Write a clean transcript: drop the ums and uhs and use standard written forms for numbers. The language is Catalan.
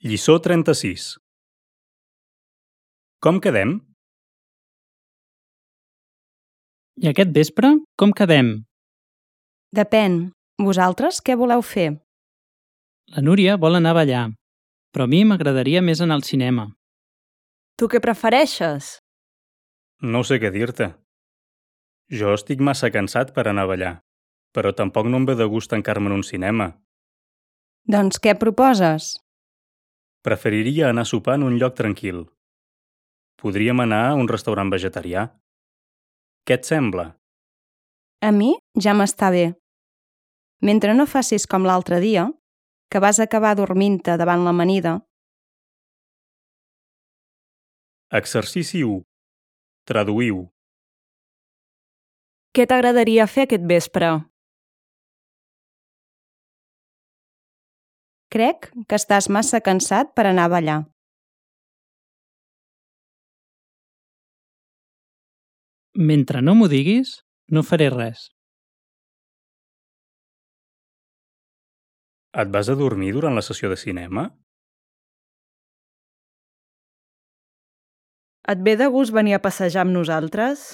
Lliçó 36. Com quedem? I aquest vespre, com quedem? Depèn. Vosaltres què voleu fer? La Núria vol anar a ballar, però a mi m'agradaria més anar al cinema. Tu què prefereixes? No sé què dir-te. Jo estic massa cansat per anar a ballar, però tampoc no em ve de gust tancar-me en un cinema. Doncs què proposes? Preferiria anar a sopar en un lloc tranquil. Podríem anar a un restaurant vegetarià. Què et sembla? A mi ja m'està bé. Mentre no facis com l'altre dia, que vas acabar dormint-te davant l'amanida. Exercici 1. Traduïu. Què t'agradaria fer aquest vespre? Crec que estàs massa cansat per anar a ballar. Mentre no m'ho diguis, no faré res. Et vas a dormir durant la sessió de cinema? Et ve de gust venir a passejar amb nosaltres?